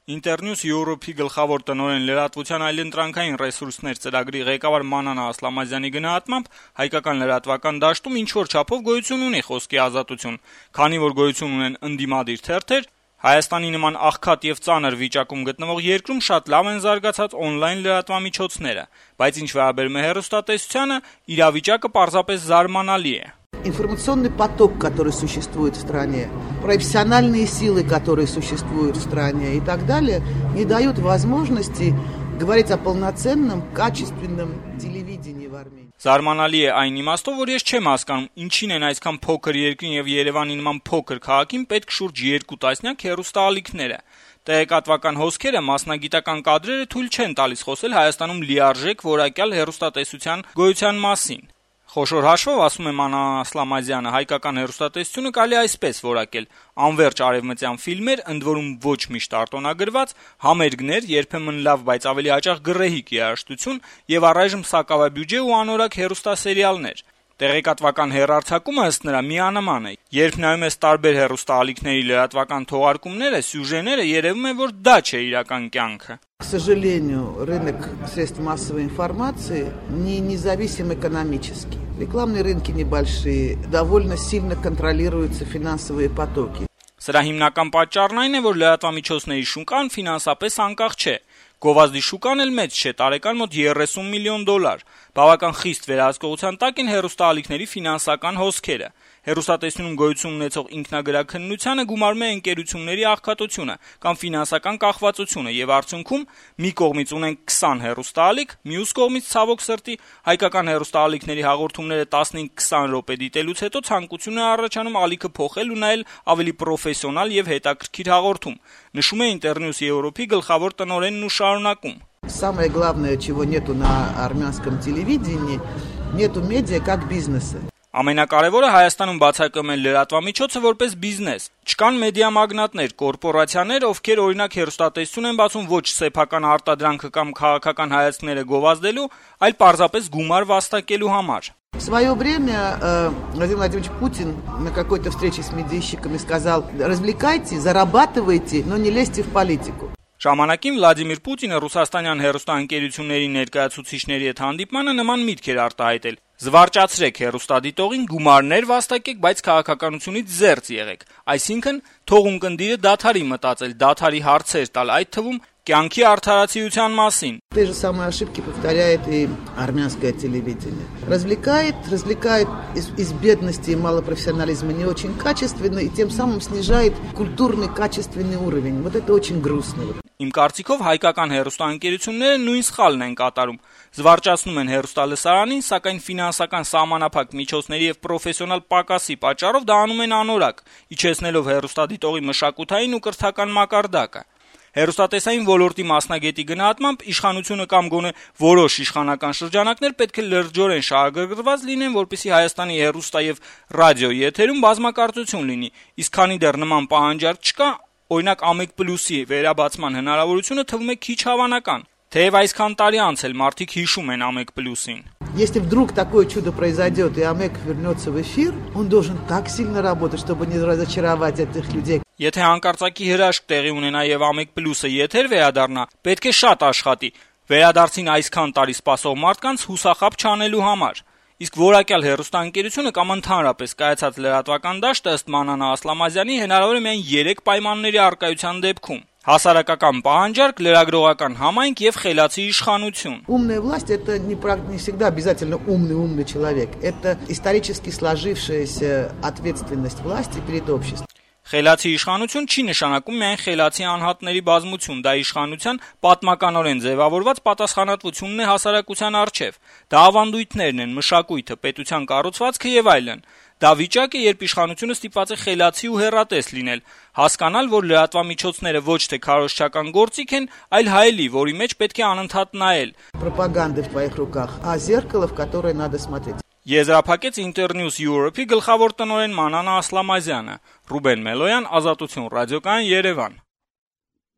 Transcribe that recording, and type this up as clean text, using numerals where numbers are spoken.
Internews Europe-ի գլխավոր տնօրեն լրատվության այլընտրանքային ռեսուրսներ ծրագրի ղեկավար Մանանա Ասլամազյանի գնահատմամբ հայկական լրատվական դաշտում ինչ-որ չափով գոյություն ունի խոսքի ազատություն, քանի որ գոյություն ունեն ընդդիմադիր թերթեր, Հայաստանի նման աղքատ եւ ծանր վիճակում գտնվող երկրում շատ լավ են զարգացած օնլայն լրատվամիջոցները, բայց ինչ վերաբերում է հեռուստատեսությանը, իրավիճակը պարզապես զարմանալի է. Информационный поток, который существует в стране, профессиональные силы, которые существуют в стране и так далее, не дают возможности говорить о полноценном, качественном телевидении в Армении. Զարմանալի է այն իմաստով, որ ես չեմ հասկանում, ինչին են այսքան փոքր երկրին եւ Երևանի նման փոքր քաղաքին պետք շուրջ 2 տասնյակ հեռուստաալիքները։ Տեղեկատվական հոսքերը, մասնագիտական կադրերը թույլ չեն տալիս խոսել Հայաստանում լիարժեք որակյալ հեռուստատեսության գոյության մասին։ Խոշոր հաշվով, ասում է Մանանա Ասլամազյանը, հայկական հեռուստատեսությունը կարելի այսպես որակել. անվերջ արևմտյան ֆիլմեր, ընդ որում ոչ միշտ արտոնագրված, համերգներ, երբեմն լավ, բայց ավելի հաճախ գռեհիկ երաժշտություն եւ առայժմ սակավաբյուջե ու անորակ հեռուստասերիալներ։ Տեղեկատվական հեռարձակումը ըստ նրա միանման է։ Երբ նայում ես տարբեր հեռուստաալիքների լրատվական թողարկումները, սյուժեները, երևում է, որ դա չէ իրական կյանքը։ К сожалению, рынок средств массовой информации не независим экономически. Рекламные рынки небольшие, довольно сильно контролируются финансовые потоки. Սրա հիմնական պատճառն այն է, որ լրատվամիջոցների շուկան ֆինանսապես անկախ չէ։ Գովազդի շուկան էլ մեծ չէ, տարեկան մոտ $30 միլիոն։ Բավական խիստ վերահսկողության տակ են հեռուստաալիքների ֆինանսական հոսքերը։ Հեռուստատեսությունում գոյություն ունեցող ինքնագրաքննությանը գումարում է ընկերությունների աղքատությունը կամ ֆինանսական կախվածությունը եւ արդյունքում մի կողմից ունենք 20 հեռուստաալիք, մյուս կողմից ցավոք սրտի հայկական հեռուստաալիքների հաղորդումները 15-20 րոպե դիտելուց հետո ցանկություն է առաջանում ալիքը փոխել ու նայել ավելի պրոֆեսիոնալ եւ հետաքրքիր հաղորդում, նշում է Internews Europe-ի գլխավոր տնօրենն ու շարունակում. Самое главное, чего нету на армянском телевидении, нету медиа как бизнеса. Ամենակարևորը Հայաստանում բացակայում են լրատվամիջոցը որպես բիզնես։ Չկան մեդիա մագնատներ, կորպորացիաներ, ովքեր օրինակ հեռուստատեսություն են բացում ոչ սեփական արտադրանքը կամ քաղաքական հայացքները գովազդելու, այլ պարզապես գումար վաստակելու համար։ В свое время Владимир Владимирович Путин на какой-то встрече с медийщиками сказал: «Развлекайте, зарабатывайте, но не лезьте в политику». Ժամանակին Վլադիմիր Պուտինը ռուսաստանյան հեռուստաընկերությունների ներկայացուցիչների հետ հանդիպմանը նման միտք էր արտահայտել. զվարճացրեք հեռուստադիտողին, գումարներ վաստակեք, բայց քաղաքականությունից զերծ եղեք։ Այսինքն, թող ունկնդիրը դադարի մտածել, դադարի հարցեր տալ, այդ թվում կյանքի արդարացիության մասին։ Те же самые ошибки повторяет и армянское телевидение. Развлекает из бедности и малопрофессионализма не очень качественно и тем самым снижает культурный качественный уровень. Вот это очень грустно. Իմ կարծիքով հայկական հեռուստաընկերությունները նույն սխալն են կատարում։ Զվարճացնում են հեռուստալսարանին, սակայն ֆինանսական սահմանափակ միջոցների եւ պրոֆեսիոնալ պակասի պատճառով դա անում են անորակ, իջեցնելով հեռուստադիտողի մշակութային ու կրթական մակարդակը։ Հեռուստատեսային ոլորտի մասնագետի գնահատմամբ իշխանությունը կամ գոնե որոշ իշխանական շրջանակներ պետք է լրջորեն շահագրգռված լինեն, որպեսզի Հայաստանի հեռուստա եւ ռադիո եթերում բազմակարծություն լինի, իսկ քանի դեռ նման պահանջարկ չկա, օրինակ Ամեկ+-ի վերաբացման հնարավորությունը թվում է քիչ հավանական, թեև այսքան տարի անց էլ մարդիկ հիշում են Ամեկ+-ին։ Если вдруг такое чудо произойдет и Амек вернется в эфир, он должен так сильно работать, чтобы не разочаровать этих людей. Եթե հանկարծակի հրաշք տեղի ունենա եւ Ամեկ+-ը եթեր վերադառնա, պետք է շատ աշխատի։ Վերադարձին այսքան տարի սպասող մարդկանց հուսախաբ չանելու համար։ Իսկ որակյալ հեռուստաընկերությունը կամ ընդհանրապես կայացած լրատվական դաշտը ըստ Մանանա Ասլամազյանի հնարավոր է միայն 3 պայմանների առկայության դեպքում. հասարակական պահանջարկ, լրագրողական համայնք եւ խելացի իշխանություն։ Умная власть это не всегда обязательно умный человек. Это исторически сложившаяся ответственность власти перед обществом. Խելացի իշխանություն չի նշանակում միայն խելացի անհատների բազմություն, դա իշխանության պատմականորեն ձևավորված պատասխանատվությունն է հասարակության առջև։ Դա ավանդույթներն են, մշակույթը, պետության կառուցվածքը եւ այլն։ Դա վիճակ է, երբ իշխանությունը ստիպված է խելացի ու հեռատես լինել, հասկանալ, որ լրատվամիջոցները ոչ թե քարոզչական գործիք են, այլ հայելի, որի մեջ պետք է անընդհատ նայել։ Пропаганда в твоих руках, а зеркало, в которое надо смотреть. Եզրափակեց Internews Europe-ի գլխավոր տնօրեն Մանանա Ասլամազյանը։ Ռուբեն Մելոյան, Ազատություն ռադիոկայան, Երևան։